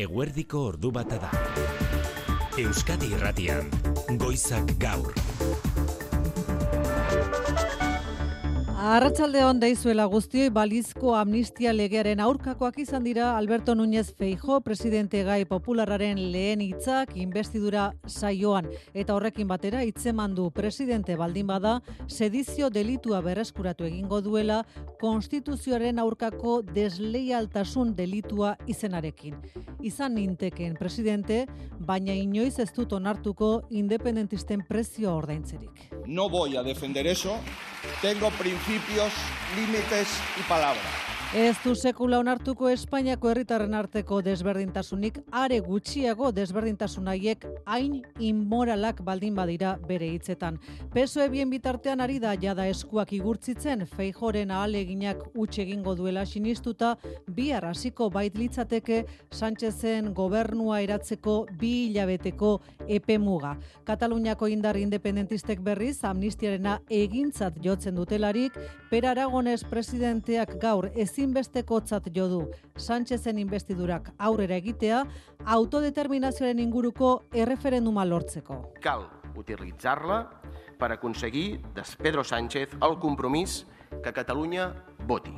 Eguerdiko ordu bata da. Euskadi Irratian, Goizak Gaur. Arratsalde on deizuela guztioi, balizko amnistia legearen aurkakoak izan dira Alberto Núñez Feijóo presidente gai popularraren lehen hitzak inbestidura saioan, eta horrekin batera hitzeman du presidente baldin bada sedizio delitua berreskuratu egingo duela konstituzioaren aurkako desleialtasun delitua izenarekin. Izan ninteken presidente, baina inoiz ez dut onartuko independentisten prezioa ordaintzerik. No voy a defender eso. Tengo principios, límites y palabra. Ez du sekula onartuko Espainiako herritarren arteko desberdintasunik, are gutxiago desberdintasun haiek hain inmoralak baldin badira bere hitzetan. PSOE bien bitartean ari da jada eskuak igurtzitzen, Feijóoren ahaleginak huts egingo duela sinistuta, bihar hasiko bait litzateke Sánchezen gobernua eratzeko 2 hilabeteko epemuga. Kataluniako indar independentistek berriz amnistiarena egintzat jotzen dutelarik, Per Aragones presidenteak gaur ezinbestekotzat jo du Sánchezen investidurak aurrera egitea, autodeterminazioaren inguruko erreferenduma lortzeko. Cal utilitzar-la per aconseguir de Pedro Sánchez el compromís que Catalunya voti.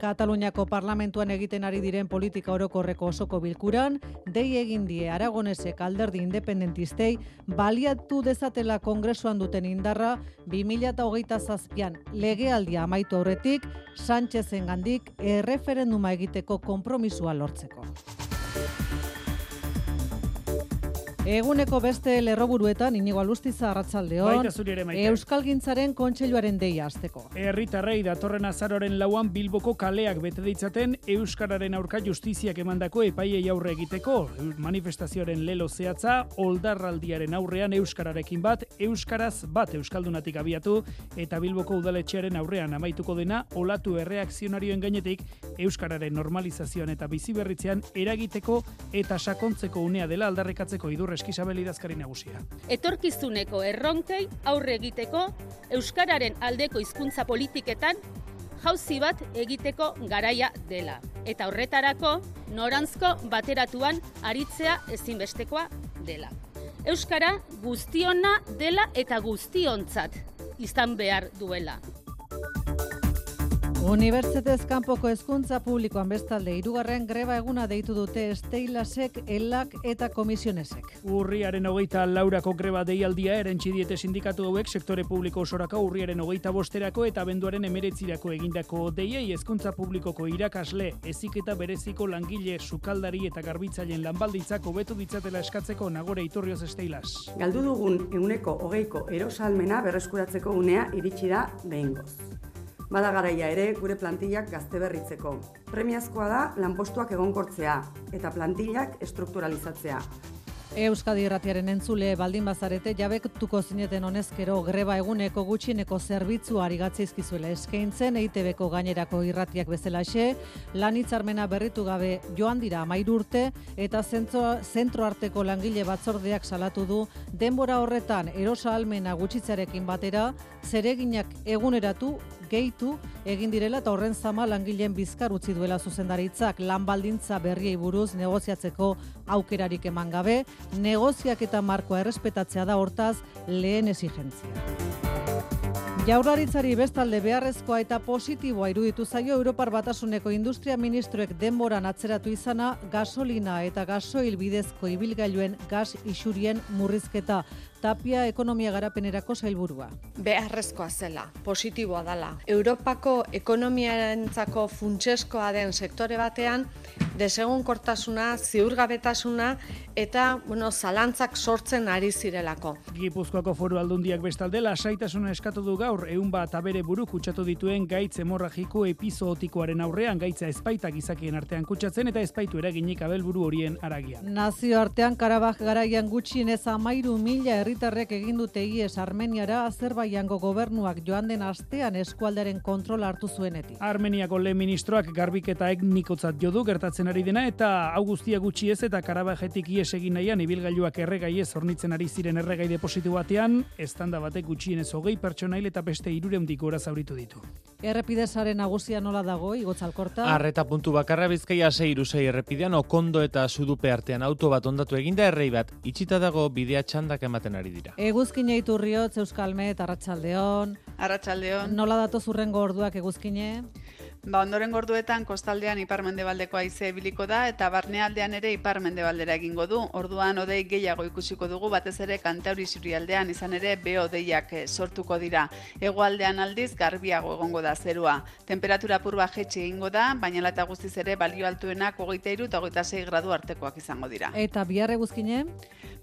Kataluniako parlamentuan egiten ari diren politika orokorreko osoko bilkuran, dei egin die Aragonesek alderdi independentistei baliatu dezatela kongresuan duten indarra 2027an legealdia amaitu aurretik Sánchezengandik erreferenduma egiteko konpromisua lortzeko. Eguneko beste lerroburuetan Inigo Alustiza, arratsaldeon. Euskalgintzaren kontseiluaren deia hasteko. Herritarrei datorren azaroaren 4an Bilboko kaleak bete ditzaten euskararen aurka justiziak emandako epaiei aurre egiteko. Manifestazioaren lelo zehatza oldarraldiaren aurrean euskararekin bat, euskaraz bat euskaldunatik abiatu eta Bilboko udaletxearen aurrean amaituko dena olatu erreakzionarioen gainetik euskararen normalizazioan eta biziberritzean eragiteko eta sakontzeko unea dela aldarrikatzeko idur Eskisabel idazkari nagusia. Etorkizuneko erronkei aurre egiteko euskararen aldeko hizkuntza politiketan jauzi bat egiteko garaia dela. Eta horretarako noranzko bateratuan aritzea ezinbestekoa dela. Euskara guztiona dela eta guztiontzat izan behar duela. Unibertsitatez kanpoko hezkuntza publikoan bestalde 3. greba eguna deitu dute Steilasek, Elak eta Komisionesek. Urriaren 24ko greba deialdia erentsi diete sindikatu hauek sektore publiko osorako urriaren 25erako eta abenduaren 19erako egindako deiei hezkuntza publikoko irakasle, heziketa bereziko langile, sukaldari eta garbitzaileen lanbaldintzak hobetu ditzatela eskatzeko Nagore Iturrioz Steilas. Galdu dugun 20% erosalmena berreskuratzeko unea iritsi da behingoz. Bada garaia ere gure plantillak gazte berritzeko. Premiazkoa da lanpostuak egonkortzea eta plantillak estrukturalizatzea. Euskadi Irratiaren entzule baldin bazarete jabetuko zineten honezkero greba eguneko gutxieneko zerbitzua ari gatzaizkizuela eskaintzen EITBko gainerako irratiak bezalaxe, lan hitzarmena berritu gabe joan dira 13 urte eta zentro arteko langile batzordeak salatu du denbora horretan erosahalmena gutxitzearekin batera zereginak eguneratu gehitu egin direla eta horren zama langileen bizkar utzi duela zuzendaritzak lan baldintza berriei buruz negoziatzeko aukerarik eman gabe, negoziak eta markoa errespetatzea da hortaz lehen exigentzia. Jaurlaritzari bestalde beharrezkoa eta positiboa iruditu zaio Europar Batasuneko industria ministroek denboran atzeratu izana gasolina eta gasoil bidezko ibilgailuen gas isurien murrizketa. Tapia ekonomia garapenerako sailburua. Beharrezkoa zela, positiboa dela. Europako ekonomiarentzako funtseskoa den sektore batean desegonkortasuna, ziurgabetasuna eta zalantzak sortzen ari zirelako. Gipuzkoako Foru Aldundiak bestalde lasaitasuna eskatu du gaur 100 bat abere buru kutsatu dituen gaitz hemorragiko epizootikoaren aurrean gaitza ezpaita gizakien artean kutsatzen eta ezpaitu eraginik abelburu horien haragian. Nazioartean Karabaj garaian gutxienez 13.000 herritarrek egin dute ihes Armeniara Azerbaijango gobernuak joan den astean eskualdearen kontrola hartu zuenetik. Armeniako lehen ministroak garbiketa etnikotzat jo du gertatzen gertatzen ari dena, eta hau guztia gutxi ez eta Karabajetik ies egin nahian ibilgailuak erregaiez hornitzen ari ziren erregai depositu batean, estanda batek gutxienez 20 pertsonail eta beste 300 gora zauritu ditu. Errepidesaren nagusia nola dago, Igotz Alkorta? Arreta puntu bakarra Bizkaia 6 errepidean Okondo eta Sudupe artean auto bat ondatu eginda errei bat itxita dago bidea txandak ematen ari dira. Eguzkine Iturriotz, Euskalmet, Arratsaldeon. Arratsaldeon. Nola datoz hurrengo orduak Eguzkine? Ondoren orduetan kostaldean ipar-mendebaldeko haize ibiliko da eta barnealdean ere ipar-mendebaldera egingo du. Orduan hodei gehiago ikusiko dugu, batez ere Kantauri isurialdean, izan ere beho-hodeiak sortuko dira. Hegoaldean aldiz garbiago egongo da zerua. Temperatura apurba jaitsi egingo da, baina eta guztiz ere balio altuenak 23 eta 26 gradu artekoak izango dira. Eta bihar Eguzkine?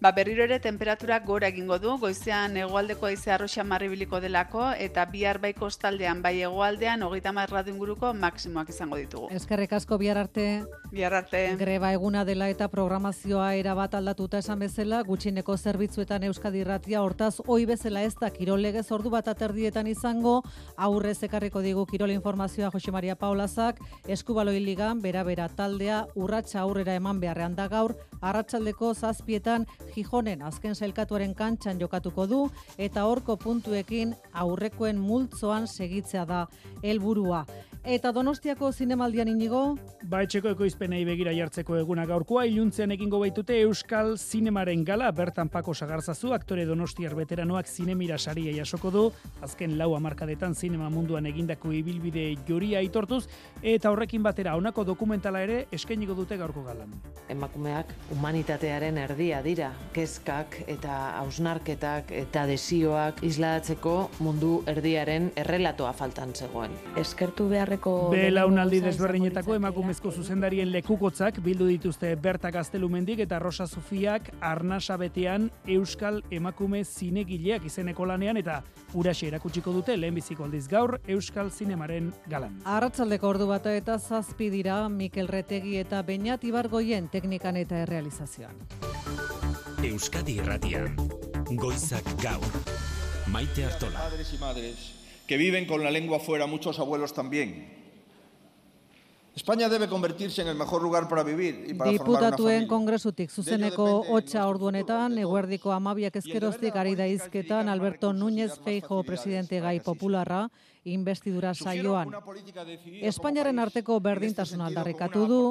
Berriro ere temperatura gora egingo du, goizean hegoaldeko haize arroxa marribiliko delako eta bihar bai kostaldean bai hegoaldean 30 gradu inguruko maksimoak izango ditugu. Eskerrik asko, bihar arte. Bihar arte. Greba eguna dela eta programazioa erabat aldatuta esan bezala, gutxineko zerbitzuetan Euskadi Irratia, hortaz ohi bezala ez da kirol legez ordu bat aterdietan izango, aurrez ekarriko digu kirol informazioa Jose Maria Paulazak, Eskubaloi Ligan, bera taldea urratsa aurrera eman beharrean da gaur, arratsaldeko 7etan Gijonen azken sailkatuaren kantxan jokatuko du, eta horko puntuekin aurrekoen multzoan segitzea da helburua. Eta Donostiako zinemaldian Inigo? Etxeko ekoizpenei begira jartzeko eguna gaurkoa, iluntzean egingo baitute Euskal Zinemaren gala, bertan Pako Sagarzazu, aktore donostiar veteranoak zinemira saria jasoko du, azken 4 hamarkadetan zinema munduan egindako ibilbide joria aitortuz, eta horrekin batera honako dokumentala ere eskainiko dute gaurko galan. Emakumeak humanitatearen erdia dira, kezkak eta hausnarketak eta desioak isladatzeko mundu erdiaren errelatoa faltan zegoen. Eskertu beharreko Belaunaldi desberdinetako emakumezko zuzendarien lekukotzak bildu dituzte Berta Gaztelumendik eta Rosa Sofiak arnasa betean Euskal Emakume Zinegileak izeneko lanean eta uraxe erakutsiko dute lehenbiziko aldiz gaur Euskal Zinemaren galan. Arratsaldeko ordu bata eta 7 dira Mikel Retegi eta Beñat Ibargoien teknikan eta errealizazioan. Euskadi Irratian, Goizak Gaur, Maite Artola. Padres y madres que viven con la lengua fuera, muchos abuelos también. España debe convertirse en el mejor lugar para vivir y para formar una familia. Diputatuen kongresutik zuzeneko hotsa ordu honetan, eguerdiko 12 ezkeroztik ari da hizketan Alberto Núñez Feijóo presidente gai popularra investidura saioan. Espainiaren arteko berdintasuna aldarrikatu du,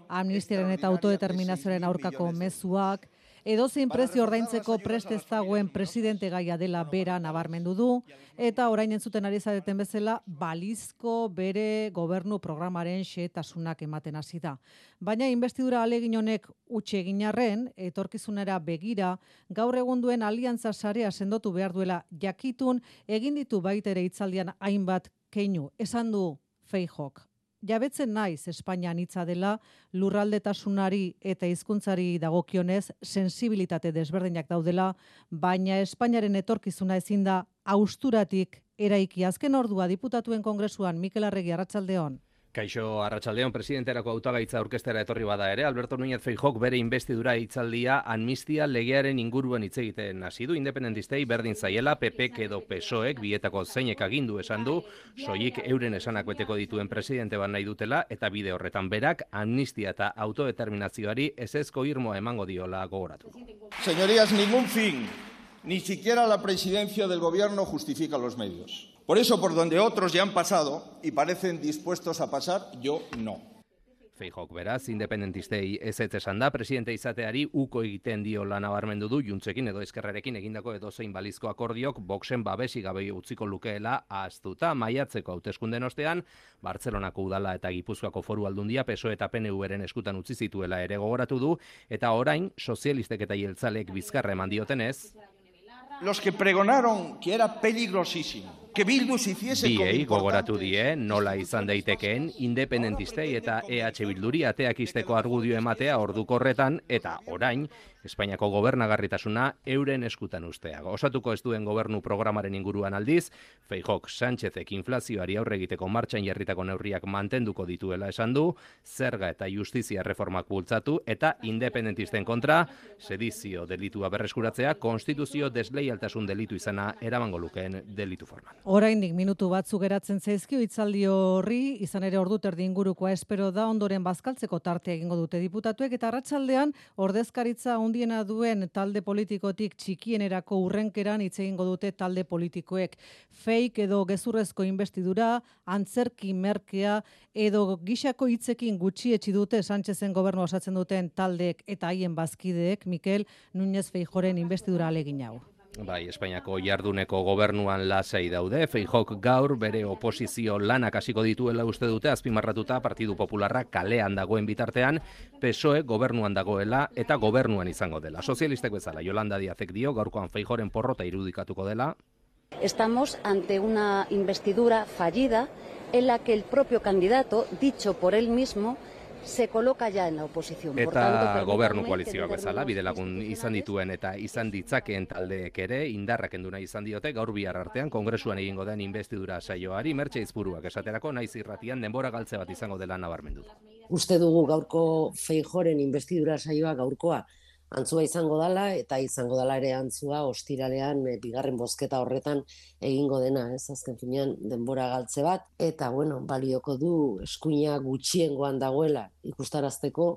amnistiaren eta autodeterminazioaren aurkako mezuak, edozein prezio ordaintzeko prest ez dagoen presidente gaia dela bera nabarmendu du, eta orain entzuten ari zareten bezala balizko bere gobernu programaren xehetasunak ematen hasi da. Baina investidura ahalegin honek utxe egin arren, etorkizunera begira, gaur egun duen aliantza sarea sendotu behar duela jakitun, egin ditu baitere hitzaldian hainbat keinu. Esan du Feijóok. Jabetzen naiz Espainian hitza dela, lurraldetasunari eta hizkuntzari dagokionez sensibilitate desberdinak daudela, baina Espainiaren etorkizuna ezin da hausturatik eraiki. Azken ordua diputatuen kongresuan Mikel Arregi, arratsaldeon. Kaixo, arratsaldeon, presidenterako hautagaitza aurkeztera etorri bada ere, Alberto Núñez Feijóok bere investidura hitzaldia amnistia legearen inguruan hitz egiten hasi du, independentistei berdin zaiela, PPk edo PSOEk bietako zeinek agindu esan du, soilik euren esanak beteko dituen presidente bat nahi dutela, eta bide horretan berak amnistia eta autodeterminazioari ezezko irmoa emango diola gogoratu. Señorías, ningún fin, ni siquiera la presidencia del gobierno justifica los medios. Por eso, por donde otros ya han pasado y parecen dispuestos a pasar, yo no. Feijóok beraz, independentistei ez esan da, presidente izateari uko egiten diola nabarmendu du, Juntzekin edo Ezkerrarekin egindako edozein balizko akordiok boxen babesi gabe utziko lukeela ahaztuta. Maiatzeko hauteskunden ostean, Bartzelonako udala eta Gipuzkoako Foru Aldundia PSOE eta PNV-ren eskutan utzi zituela ere gogoratu du, eta orain sozialistek eta jeltzalek bizkarra eman diotenez, los que pregonaron que era peligrosísimo que Bildu se hiciese con biei gogoratu importantes die nola izan daitekeen independentistei eta EH Bilduri ateak ixteko argudio ematea orduko horretan eta orain Espainiako gobernagarritasuna euren eskutan ustea. Osatuko ez duen gobernu programaren inguruan aldiz, Feijóok Sánchezek inflazioari aurre egiteko martxan jarritako neurriak mantenduko dituela esan du, zerga eta justizia reformak bultzatu eta independentisten kontra sedizio delitua berreskuratzea konstituzio desleialtasun delitu izana eramango lukeen delitu forman. Oraindik minutu batzuk geratzen zaizkio hitzaldi horri, izan ere ordu terdi ingurukoa espero da, ondoren bazkaltzeko tartea egingo dute diputatuek, eta arratsaldean ordezkaritza handiena duen talde politikotik txikienerako urrenkeran hitz egingo dute talde politikoek. Fake edo gezurrezko inbestidura, antzerki merkea edo gixako hitzekin gutxietsi dute Sánchezen gobernua osatzen duten taldeek eta haien bazkideek, Mikel Núñez Feijóoren inbestidura alegin hau. Bai, Espainiako jarduneko gobernuan lasai daude, Feijóok gaur bere oposizio lanak hasiko dituela uste dute, azpimarratuta Partidu Popularra kalean dagoen bitartean, PSOE gobernuan dagoela eta gobernuan izango dela. Sozialistek bezala, Yolanda Díazek dio, gaurkoan Feijóoren porrota irudikatuko dela. Estamos ante una investidura fallida en la que el propio candidato, dicho por él mismo, se coloca ya en la oposición. Eta gobernu koalizioak bezala, bidelagun izan dituen eta izan ditzakeen taldeek ere, indarrak enduna izan diote, gaur bihar artean kongresuan egingo den investidura saioari, Mertxe Izpuruak esaterako, naiz irratian denbora galtze bat izango dela nabarmendu. Uste dugu gaurko Feijóoren investidura saioa gaurkoa antzua izango dela, eta izango dela ere antzua ostiralean bigarren bozketa horretan egingo dena, azken finean denbora galtze bat, eta balioko du eskuina gutxiengoan dagoela ikustarazteko.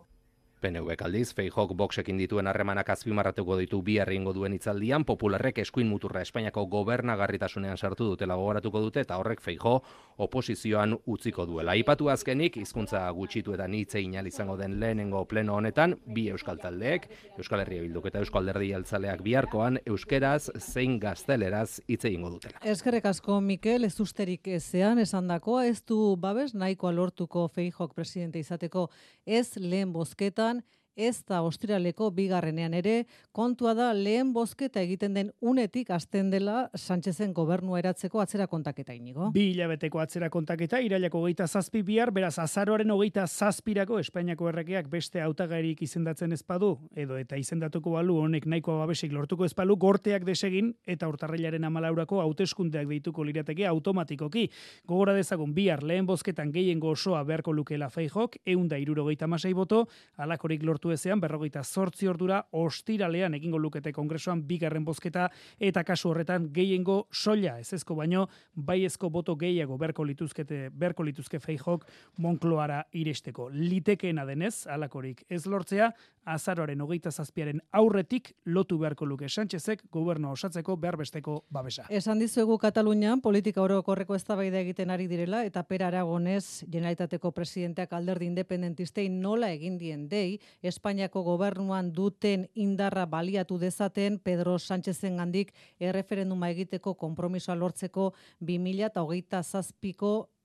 PNV aldiz, Feijóok Voxekin dituen harremanak azpimarratuko ditu bihar egingo duen hitzaldian, Popularrek eskuin muturra Espainiako gobernagarritasunean sartu dutela gogoratuko dute, eta horrek Feijóo oposizioan utziko duela. Aipatu azkenik, hizkuntza gutxituetan hitz egin ahal izango den lehenengo pleno honetan, bi euskal taldeek, Euskal Herria Bilduk eta Eusko Alderdi Jeltzaleak biharkoan euskeraz zein gazteleraz hitz egingo dutela. Eskerrik asko, Mikel, ez usterik ezean esandakoa, ez du babes nahikoa lortuko Feijóok presidente izateko, ez lehen bozketan, ez da ostiraleko bigarrenean ere, kontua da lehen bozketa egiten den unetik hasten dela Sánchezen gobernua eratzeko atzera kontaketa, Inigo. 2 hilabeteko atzera kontaketa, irailako 27 bihar, beraz azaroaren 27rako Espainiako erregeak beste hautagairik izendatzen ez badu, edo eta izendatuko balu honek nahikoa babesik lortuko ez balu, gorteak desegin eta urtarrilaren 14rako hauteskundeak deituko lirateke automatikoki. Gogora dezagun bihar lehen bozketan gehiengo osoa beharko lukeela Feijóok, 176 boto, alakorik lortu ezean 48 ordura ostiralean egingo lukete kongresuan bigarren bozketa eta kasu horretan gehiengo soila ezezko baino baiezko boto gehiago beharko lituzke Feijóok Moncloara iristeko. Litekeena denez, halakorik ez lortzea, azaroaren 27aren aurretik lotu beharko luke Sánchezek gobernua osatzeko behar besteko babesa. Esan dizuegu Katalunian politika orokorreko eztabaida egiten ari direla eta Per Aragonez Generalitateko presidenteak alderdi independentistei nola egin dien dei Espainiako gobernuan duten indarra baliatu dezaten Pedro Sánchezen gandik erreferenduma egiteko konpromisoa lortzeko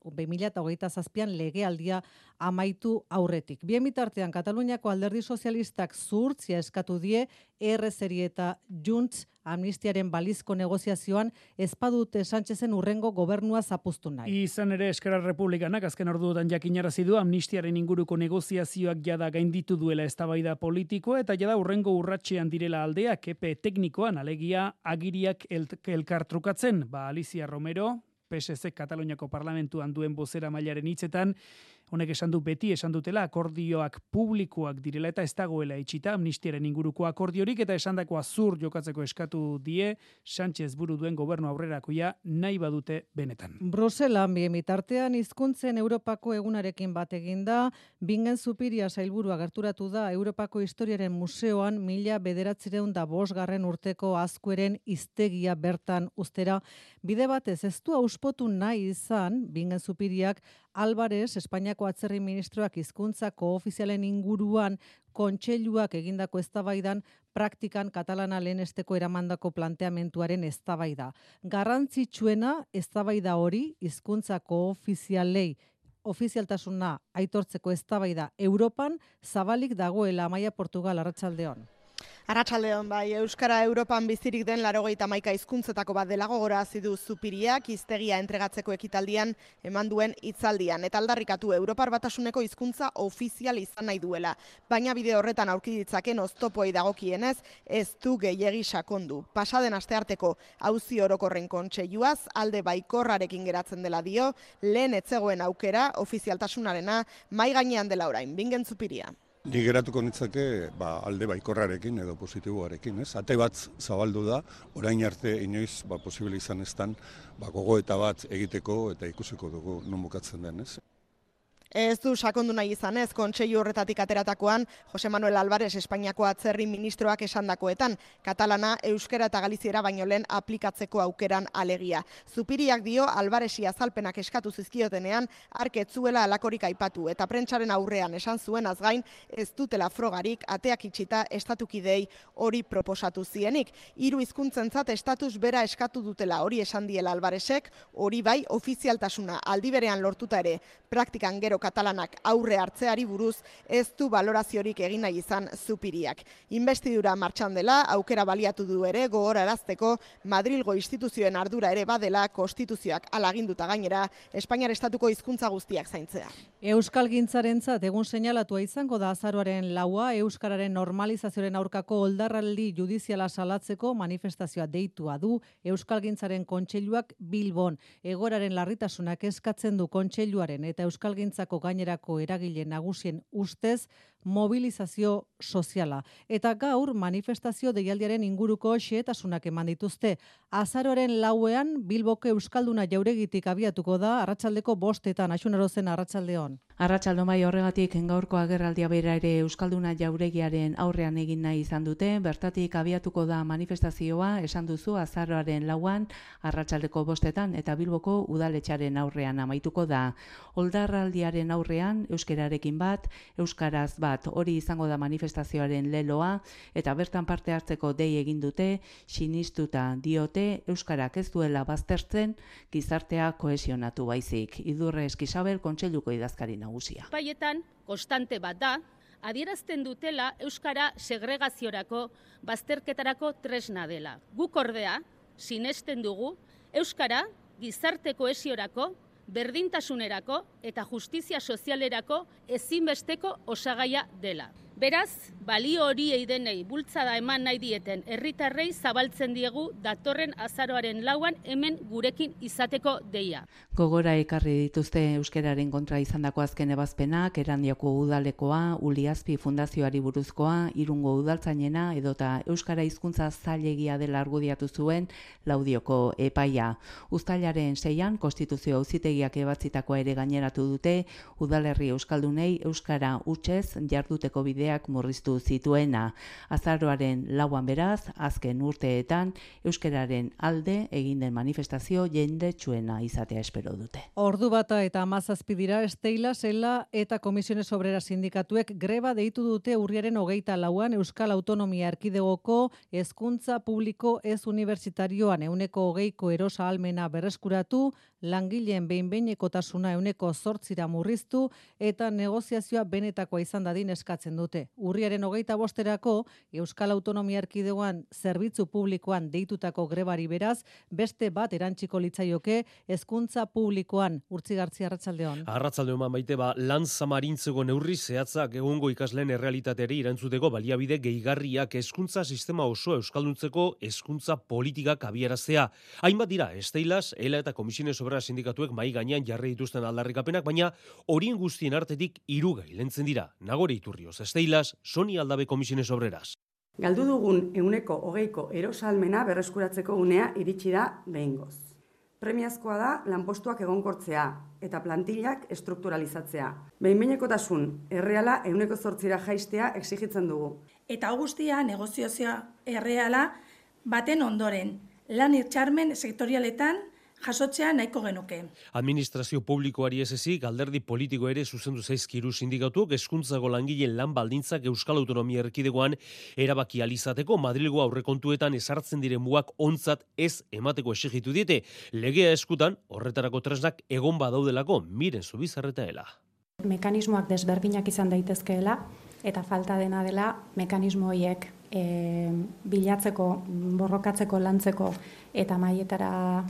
2027an legealdia amaitu aurretik. Bien bitartean, Kataluniako alderdi sozialistak zuhurtzia eskatu die ERC-eri eta Junts amnistiaren balizko negoziazioan ezpadute Sánchezen urrengo gobernua zapuztu nahi. Izan ere Eskerra Republikanak azken orduotan jakinarazi du amnistiaren inguruko negoziazioak jada gainditu duela eztabaida politikoa eta jada urrengo urratsean direla aldeak epe teknikoan alegia agiriak elkartrukatzen. Alicia Romero, PSC Kataluniako parlamentuan duen bozera mailaren hitzetan, honek esan du beti esan dutela akordioak publikoak direla eta ez dagoela itxita amnistiaren inguruko akordiorik eta esandakoa zur jokatzeko eskatu die Sánchez buru duen gobernu aurrerakoia nahi badute benetan. Bruselan bien bitartean hizkuntzen Europako egunarekin bat eginda, Bingen Zupiria sailburua gerturatu da Europako Historiaren Museoan 1905 urteko Azkueren hiztegia bertan ustera. Bide batez ez du auspotu nahi izan Bingen Zupiriak Álvarez, Espainiako atzerri ministroak hizkuntza koofizialen inguruan kontseiluak egindako eztabaidan praktikan katalana lehenesteko eramandako planteamentuaren eztabaida. Garrantzitsuena eztabaida hori hizkuntza koofizialei ofizialtasuna aitortzeko eztabaida Europan zabalik dagoela. Amaia Portugal, arratsaldeon. Arratsaldeon, bai, Euskara Europan bizirik den 91 hizkuntzetako bat dela gogorarazi du Zupiriak hiztegia entregatzeko ekitaldian eman duen hitzaldian eta aldarrikatu Europar Batasuneko hizkuntza ofizial izan nahi duela. Baina bide horretan aurki ditzaken oztopoei dagokienez ez du gehiegi sakondu. Pasaden astearteko auzi orokorren kontseiluaz alde baikorrarekin geratzen dela dio, lehen etzegoen aukera ofizialtasunarena mai gainean dela orain. Bingen Zupiria. Ni geratuko nitzake alde baikorrarekin edo positiboarekin, ez? Ate bat zabaldu da, orain arte inoiz posible izan eztan gogoeta bat egiteko eta ikusiko dugu non bukatzen den, ez? Ez du sakondu nahi izanez, kontseilu horretatik ateratakoan, Jose Manuel Álvarez Espainiako atzerri ministroak esandakoetan, katalana, euskera eta galiziera baino lehen aplikatzeko aukeran alegia. Zupiriak dio Álvarezi azalpenak eskatu zizkiotenean, hark ez zuela alakorik aipatu, eta prentsaren aurrean esan zuen azgain, ez dutela frogarik, ateak itxita estatukidei hori proposatu zienik. 3 hizkuntzentzat estatus bera eskatu dutela, hori esan diela Álvarezek, hori bai ofizialtasuna aldi berean lortuta ere, praktikan gero katalanak aurre hartzeari buruz ez du baloraziorik egin nahi izan Zupiriak. Inbestidura martxan dela, aukera baliatu du ere gogorarazteko Madrilgo instituzioen ardura ere badela konstituzioak alaginduta gainera Espainiar estatuko hizkuntza guztiak zaintzea. Euskalgintzarentzat egun seinalatua izango da azaroaren 4 euskararen normalizazioaren aurkako oldarraldi judiziala salatzeko manifestazioa deitua du Euskalgintzaren kontseiluak Bilbon. Egoeraren larritasunak eskatzen du kontseiluaren eta Euskalgintzako gainerako eragile nagusien ustez mobilizazio soziala. Eta gaur manifestazio deialdiaren inguruko xehetasunak eman dituzte. Azaroaren 4ean Bilboko Euskalduna jauregitik abiatuko da arratsaldeko 5etan. Axunarozen arratsaldeon. Arratsaldo bai, horregatik gaurko agerraldia bera ere Euskalduna jauregiaren aurrean egin nahi izan dute. Bertatik abiatuko da manifestazioa, esan duzu, azaroaren 4ean arratsaldeko 5etan eta Bilboko udaletxaren aurrean amaituko da. Oldarraldiaren aurrean euskerarekin bat, euskaraz bat, hori izango da manifestazioaren leloa eta bertan parte hartzeko dei egin dute, sinistuta diote euskarak ez duela baztertzen, gizartea kohesionatu baizik. Idurre Eskisabel kontseiluko idazkari nagusia. Paietan konstante bat da, adierazten dutela euskara segregaziorako, bazterketarako tresna dela. Guk ordea, sinesten dugu, euskara gizarte kohesiorako, berdintasunerako eta justizia sozialerako ezinbesteko osagaia dela. Beraz, balio horiei denei bultzada eman nahi dieten herritarrei zabaltzen diegu datorren azaroaren 4ean hemen gurekin izateko deia. Gogora ekarri dituzte euskeraren kontra izandako azken ebazpenak, Erandioko udalekoa, Uliazpi fundazioari buruzkoa, Irungo udaltzainena edota euskara hizkuntza zailegia dela argudiatu zuen Laudioko epaia. Uztailaren 6ean konstituzio auzitegiak ebatzitakoa ere gaineratu dute, udalerri euskaldunei euskara hutsez jarduteko bidea murriztu zituena. Azaroaren 4ean beraz, azken urteetan, euskararen alde egin den manifestazio jendetsuena izatea espero dute. Ordu bata eta 17 dira, Esteila, Sela eta Komisiones Obreras sindikatuek greba deitu dute urriaren 24ean Euskal Autonomia Erkidegoko hezkuntza publiko ez unibertsitarioan 20% eros ahalmena berreskuratu, langileen behin-behinekotasuna 8% murriztu eta negoziazioa benetakoa izan dadin eskatzen dute. Urriaren 25erako Euskal Autonomia Erkidegoan zerbitzu publikoan deitutako grebari beraz, beste bat erantziko litzaioke hezkuntza publikoan. Urtzigartzi arratsaldeon. Arratsaldeon Maite, lan zamarintzeko neurri zehatzak egungo ikasleen errealitateari erantzuteko baliabide gehigarriak hezkuntza sistema oso euskalduntzeko hezkuntza politikak abiaraztea. Hainbat dira, Esteilas, Ela eta Komisiones Obreras sindikatuek mai gainean jarri dituzten aldarrikapenak, baina horien guztien artetik 3 gai lentzen dira. Nagore Iturrioz, Esteilas, Soni Aldabe Komisiones Obreras. Galdu dugun 20% erosalmena berreskuratzeko unea iritsi da behingoz. Premiazkoa da lanpostuak egonkortzea eta plantillak estrukturalizatzea. Behin-behinekotasun erreala 8% jaistea exigitzen dugu. Eta guztia negoziazioa erreala baten ondoren, lan hitzarmen sektorialetan jasotzea nahiko genuke. Administrazio publikoari ez ezik, alderdi politiko ere zuzendu zaizkiru sindikatuak hezkuntzako langileen lan baldintzak Euskal Autonomia Erkidegoan erabaki alizateko Madrilgo aurrekontuetan ezartzen diren mugak ontzat ez emateko exigitu diete. Legea eskutan, horretarako tresnak egon badaudelako, Miren Zubizarretaela. Mekanismoak desberdinak izan daitezkeela eta falta dena dela mekanismo horiek bilatzeko, borrokatzeko, lantzeko eta mailetara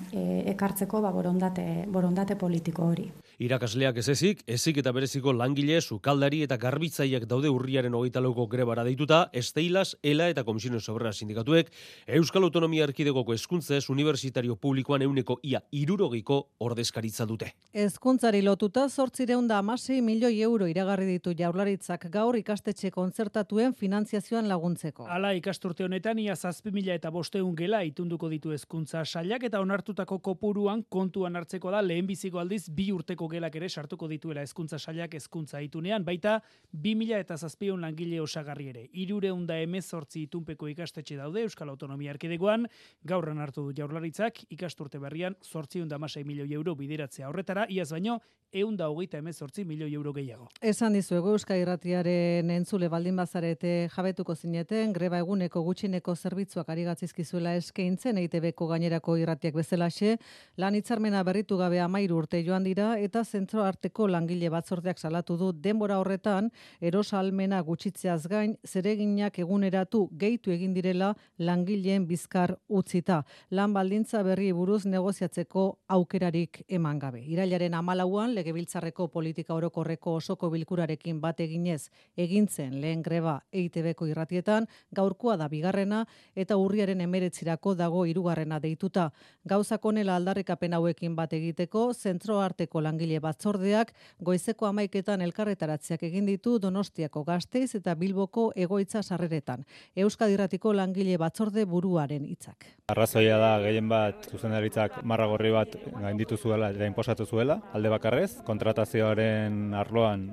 ekartzeko borondate politiko hori. Irakasleak ezik eta bereziko langile, sukaldari eta garbitzaileak daude urriaren 24ko grebara deituta, Esteilas, ELA eta Komisiones Obreras sindikatuek Euskal Autonomia Erkidegoko hezkuntzez unibertsitario publikoan ia 60ko ordezkaritza dute. Hezkuntzari lotuta 816 milioi euro iragarri ditu Jaurlaritzak gaur ikastetxe kontzertatuen finantziazioan laguntzeko. Hala, ikasturte honetan ia 7.500 gela itunduko ditu hezkuntza sailak eta onartutako kopuruan kontuan hartzeko da lehenbiziko aldiz 2 urteko gelak ere sartuko dituela hezkuntza sailak hezkuntza itunean, baita 2.700 langile osagarri ere. 318 itunpeko ikastetxe daude Euskal Autonomia Erkidegoan, gaur onartu du Jaurlaritzak ikasturte berrian 816 milioi euro bideratzea horretara, iaz baino 138 milioi euro gehiago. Esan dizuegu Euskadi Irratiaren entzule baldin bazarete jabetuko zineten, greba eguneko gutxineko zerbitzuak ari gatzizkizuela eskaintzen EITBko gainerako irratiak bezalaxe, lan hitzarmena berritu gabe 13 urte joan dira eta zentroarteko langile batzordeak salatu du denbora horretan erosahalmena gutxitzeaz gain zereginak eguneratu gehitu egin direla langileen bizkar utzita. Lan baldintza berri buruz negoziatzeko aukerarik eman gabe. Irailaren 14an Legebiltzarreko politika orokorreko osoko bilkurarekin bat eginez egintzen lehen greba EITBko irratietan, gaurkoa da bigarrena eta urriaren 19irako dago 3. deituta. Gauzak honela aldarrikapen hauekin bat egiteko, zentroarteko langile batzordeak goizeko 11etan elkarretaratzeak egin ditu Donostiako Gasteiz eta Bilboko egoitza sarreretan. Euskadi Irratiko langile batzorde buruaren hitzak. Arrazoia da gehien bat zuzendaritzak marra gorri bat gainditu zuela eta inposatu zuela, alde bakarrez, kontratazioaren arloan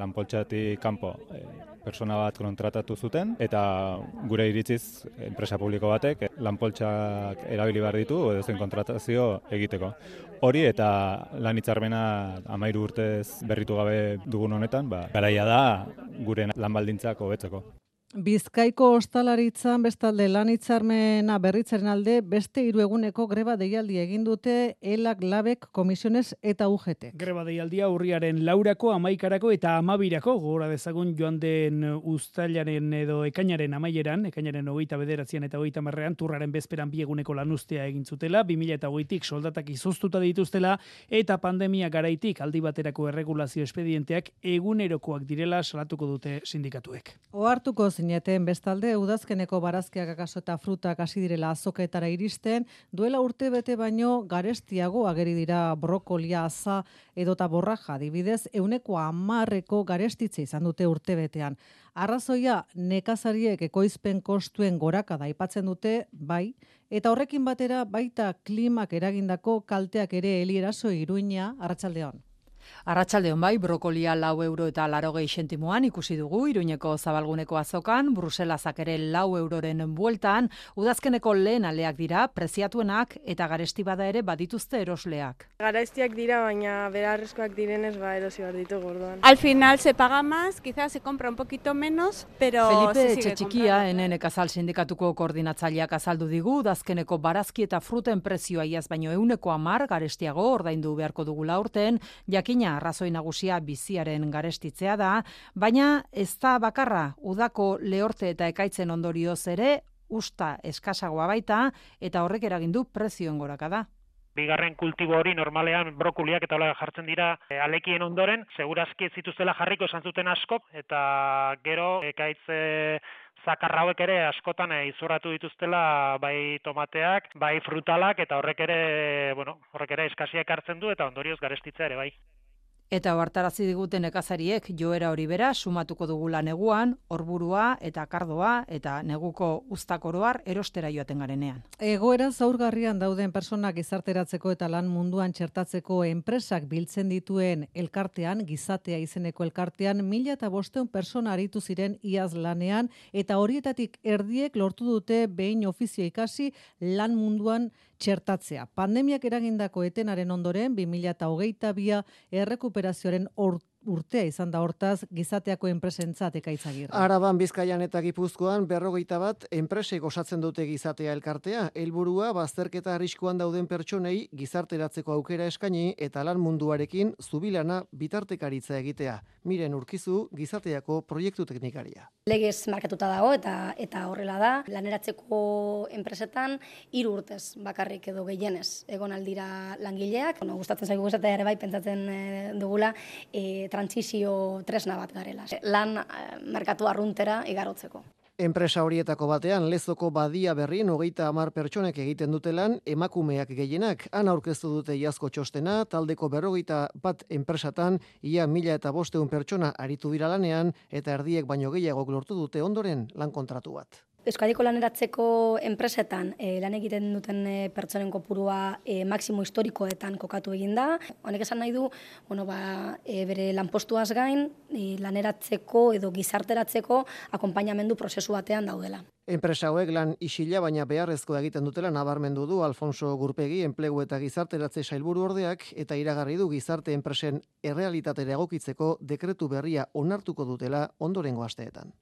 lanpoltsatik kanpo persona bat kontratatu zuten eta gure iritziz enpresa publiko batek lanpoltsak erabili behar ditu edozein kontratazio egiteko. Hori eta lan hitzarmena 13 urtez berritu gabe dugun honetan, garaia da gure lan baldintzak hobetzeko. Bizkaiko ostalaritzan bestalde lan hitzarmena berritzaren alde beste 3 eguneko greba deialdia egin dute ELAK, LABek, Komisiones eta UGT. Greba deialdia urriaren 4ko, 11karako eta 12irako, gogora dezagun joan den uztailaren edo ekainaren amaieran, ekainaren 29an eta 30an turraren bezperan 2 eguneko lanuztea egin zutela, 2008tik soldatak izoztuta dituztela eta pandemia garaitik aldi baterako erregulazio espedienteak egunerokoak direla salatuko dute sindikatuek. Ohartuko zineten bestalde udazkeneko barazkiak akaso eta frutak hasi direla azoketara iristen, duela urte bete baino garestiago ageri dira brokolia, aza edota borraja, adibidez 10% garestitze izan dute urte betean. Arrazoia nekazariek ekoizpen kostuen gorakada aipatzen dute, bai, eta horrekin batera baita klimak eragindako kalteak ere Elieraso Iruña, arratsaldeon. Arratsaldeon bai, brokolia 4 euro eta 80 zentimoan ikusi dugu Iruñeko zabalguneko azokan, Bruselazak ere 4 euroren bueltan, udazkeneko lehen aleak dira, preziatuenak eta garesti bada ere badituzte erosleak. Garestiak dira, baina berarrezkoak direnez erosi behar ditugu orduan. Al final se paga más, quizás se compra un poquito menos, pero Felipe se sigue Etxetxikia, Nekazal sindikatuko koordinatzaileak azaldu digu, udazkeneko barazki eta fruten prezioa iaz baino 110 garestiago ordaindu beharko dugula urten, jakina arrazoi nagusia biziaren garestitzea da, baina ez da bakarra udako lehorte eta ekaitzen ondorioz ere usta eskasagoa baita eta horrek eragindu prezioen gorakada. Bigarren kultibo hori normalean brokuliak eta hola jartzen dira alekien ondoren, segurazki ez zituztela jarriko esan zuten askok, eta gero ekaitze zakarra hauek ere askotan izorratu dituztela bai tomateak, bai frutalak, eta horrek ere eskasiak hartzen du eta ondorioz garestitzea ere bai. Eta ohartarazi diguten nekazariek joera hori bera sumatuko dugula neguan, orburua eta kardoa eta neguko uztakoroar erostera joaten garenean. Egoera zaurgarrian dauden personak gizarteratzeko eta lan munduan txertatzeko enpresak biltzen dituen elkartean, Gizatea izeneko elkartean, 1500 persona aritu ziren iaz lanean eta horietatik erdiek lortu dute behin ofizio ikasi lan munduan txertatzea. Pandemiak eragindako etenaren ondoren 2022 errekuperazioaren urtea izan da hortaz gizateako enpresentzat Ekaitzagirre. Araban, Bizkaian eta Gipuzkoan 41 enpresek osatzen dute gizatea elkartea. Helburua bazterketa arriskuan dauden pertsonei gizarteratzeko aukera eskaini eta lan munduarekin zubilana bitartekaritza egitea. Miren Urkizu, gizateako proiektu teknikaria. Legez markatuta dago eta horrela da. Laneratzeko enpresetan 3 urtez bakarrik edo gehienez egon aldira langileak. Gustatzen zaigu gizatea ere bai pentsatzen dugula trantsizio tresna bat garela. Lan merkatu arruntera igarotzeko. Enpresa horietako batean Lezoko badia berrien 30 pertsonek egiten dute lan, emakumeak gehienak. Han aurkeztu dute iazko txostena, taldeko 41 enpresatan ia 1500 pertsona aritu dira lanean eta erdiek baino gehiagok lortu dute ondoren lan kontratu bat. Euskadiko laneratzeko enpresetan lan egiten duten pertsonen kopurua maksimo historikoetan kokatu egin da. Honek esan nahi du, bere lanpostuaz gain, laneratzeko edo gizarteratzeko akonpainamendu prozesu batean daudela. Enpresa hauek lan isila baina beharrezko egiten dutela nabarmendu du Alfonso Gurpegi, enplegu eta gizarteratze sailburu ordeak, eta iragarri du gizarte enpresen errealitatera egokitzeko dekretu berria onartuko dutela ondorengo asteetan.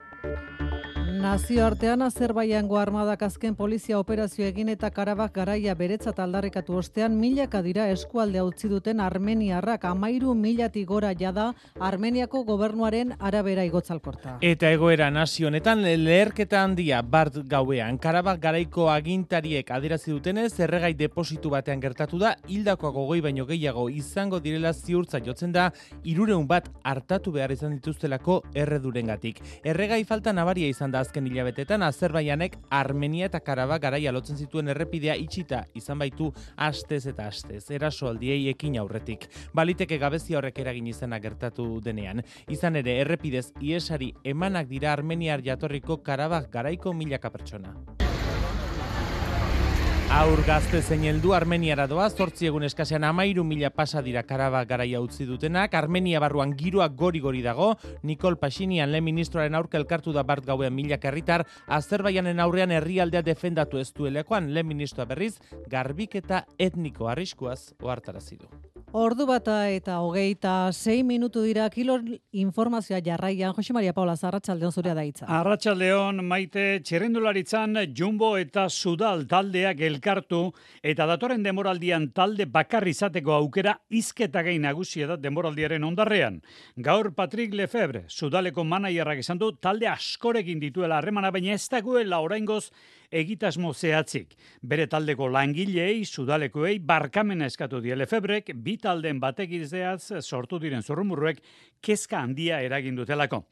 Nazioartean Azerbaijango armadak azken polizia operazio egin eta Karabak garaia beretzat aldarrikatu ostean milaka dira eskualdea utzi duten armeniarrak 13.000 gora jada Armeniako gobernuaren arabera igotzalkorta. Eta egoera nazio honetan leherketa handia bart gauean Karabak garaiko agintariek adierazi dutenez erregai depositu batean gertatu da, hildakoak 20 baino gehiago izango direla ziurtza jotzen da 300 bat artatu behar izan dituztelako erredurengatik. Erregai falta nabaria izan da azken hilabetetan Azerbaijanek Armenia eta Karabak garaia lotzen zituen errepidea itxita izan baitu astez eta astez, erasoaldiei ekin aurretik. Baliteke gabezia horrek eragin izena gertatu denean. Izan ere, errepidez iesari emanak dira armeniar jatorriko Karabak garaiko milaka pertsona. Aur gazte zein heldu Armeniara doa, 8 egun eskasean 13.000 pasa dira Karabak garaia utzi dutenak. Armenia barruan giroa gori dago. Nikol Pashinyan lehen ministroaren aurka elkartu da bart gauean milaka herritar. Azerbaijanen aurrean herrialdea defendatu ez duelekoan lehen ministroa berriz garbiketa etniko arriskuaz ohartarazi du. Ordu bata eta 26 minutu dira kilo informazioa jarraian. Jose Maria Paula, Arratsaldeon zurea da hitza. Arratsaldeon, Maite, txirrindularitzan Jumbo eta Sudal taldeak elkartu eta datorren denboraldian talde bakar izateko aukera hizketa gai nagusia da denboraldiaren ondarrean. Gaur Patrick Lefebvre, Sudaleko managerrak esan du talde askorekin dituela harremana, baina ez dagoela oraingoz egitasmo zehatzik. Bere taldeko langileei, Sudalekoei barkamena eskatu die Lefebvrek, bi talden batekizeaz sortu diren zurrumurruek kezka handia eragin dutelako.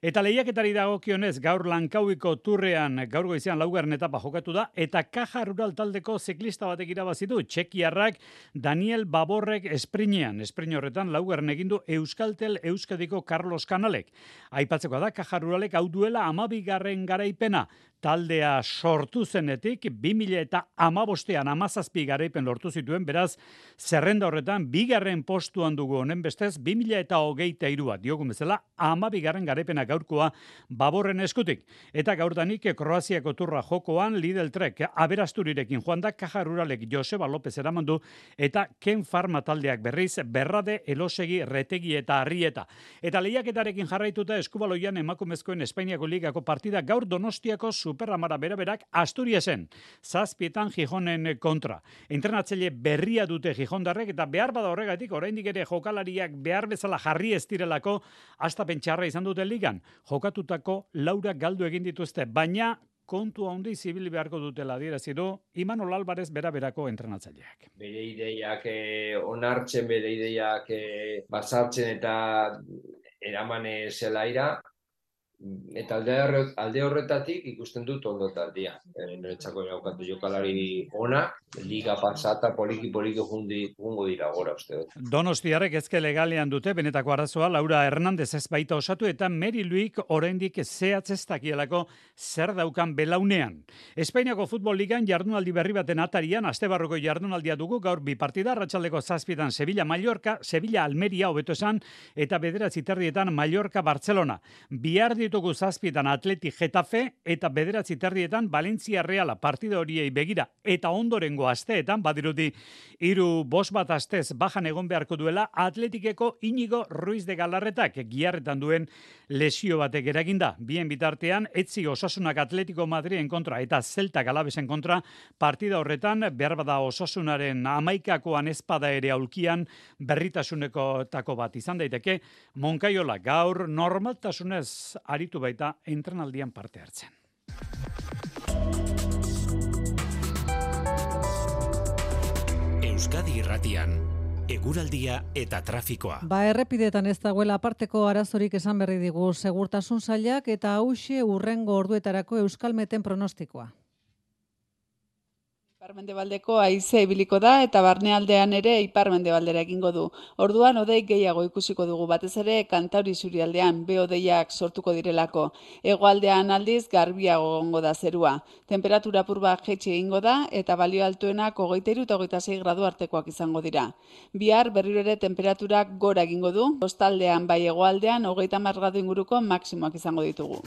Eta lehiaketari dagokionez gaur Lankauiko turrean gaur goizean 4. etapa jokatu da eta Caja Rural taldeko ziklista batek irabazi du txekiarrak Daniel Baborrek esprinean. Esprin horretan 4. egin du Euskaltel Euskadiko Carlos Kanalek. Aipatzeko da Caja Ruralek hau duela 12. garaipena. Taldea sortu zenetik 2015an 17 garaipen lortu zituen, beraz zerrenda horretan 2. postuan dugu honen bestez 2023a diogu bezala 12. garaipena gaurkoa Baborren eskutik. Eta gaurdanik Kroaziako turra jokoan Lidl Trek aberasturirekin joan da Caja Ruralek Joseba López eramandu eta Ken Farma taldeak berriz Berrade, Elosegi, Retegi eta Arrieta. Eta lehiaketarekin jarraituta eskubaloian emakumezkoen Espainiako ligako partida gaur Donostiako Superamara beraberak Asturiasen, 7 Gijonen kontra. Entrenatzaile berria dute Gijondarrek eta behar bada horregatik oraindik ere jokalariak behar bezala jarri ez direlako hastapen txarra izan dute ligan. Jokatutako 4 galdu egin dituzte, baina kontu handi zibili beharko dutela adierazi du Imanol Alvarez beraberako entrenatzaileak. Bere ideiak onartzen, bere ideiak bazartzen eta eraman zelaira. Eta alde horretatik ikusten dut ondo taldea. Noretzako eraukatu jokalari ona, liga pasata poliki jungo dira gora uste dut. Donostiarrek ezke legalean dute benetako arazoa Laura Hernández ez baita osatu eta Meri Luik oraindik zehatz ez dakielako zer daukan belaunean. Espainiako futbol ligan jardunaldi berri baten atarian astebarroko jardunaldia dugu gaur 2 partida, arratsaldeko 7 Sevilla Mallorca, Sevilla Almeria hobeto esan eta 9:30 Mallorca Barcelona. Bihar ditugu 7 Atleti Getafe eta 9:30 Valencia Reala partida horiei begira eta ondorengo asteetan badirudi 3-5 astez bajan egon beharko duela Atletikeko Inigo Ruiz de Galarretak giharretan duen lesio batek eraginda. Bien bitartean etzi Osasunak Atletico Madriden kontra eta Celta Alavesen kontra partida horretan beharbada Osasunaren 11koan espada ere aulkian berritasunekotako bat izan daiteke. Monkaiola gaur normaltasunez aritu baita entrenaldian parte hartzen. Euskadi Irratian, eguraldia eta trafikoa. Errepidetan ez dagoela aparteko arazorik esan berri digu segurtasun sailak eta hauxe hurrengo orduetarako Euskalmeten pronostikoa. Ipar-mendebaldeko haizea ibiliko da eta barnealdean ere ipar-mendebaldera egingo du. Orduan hodei gehiago ikusiko dugu, batez ere Kantauri isurialdean hodeiak sortuko direlako. Hegoaldean aldiz garbiago egongo da zerua. Temperatura apur bat jaitsi egingo da eta balio altuenak 23 eta 26 gradu artekoak izango dira. Bihar berriro ere temperaturak gora egingo du. Kostaldean bai hegoaldean 30 gradu inguruko maksimoak izango ditugu.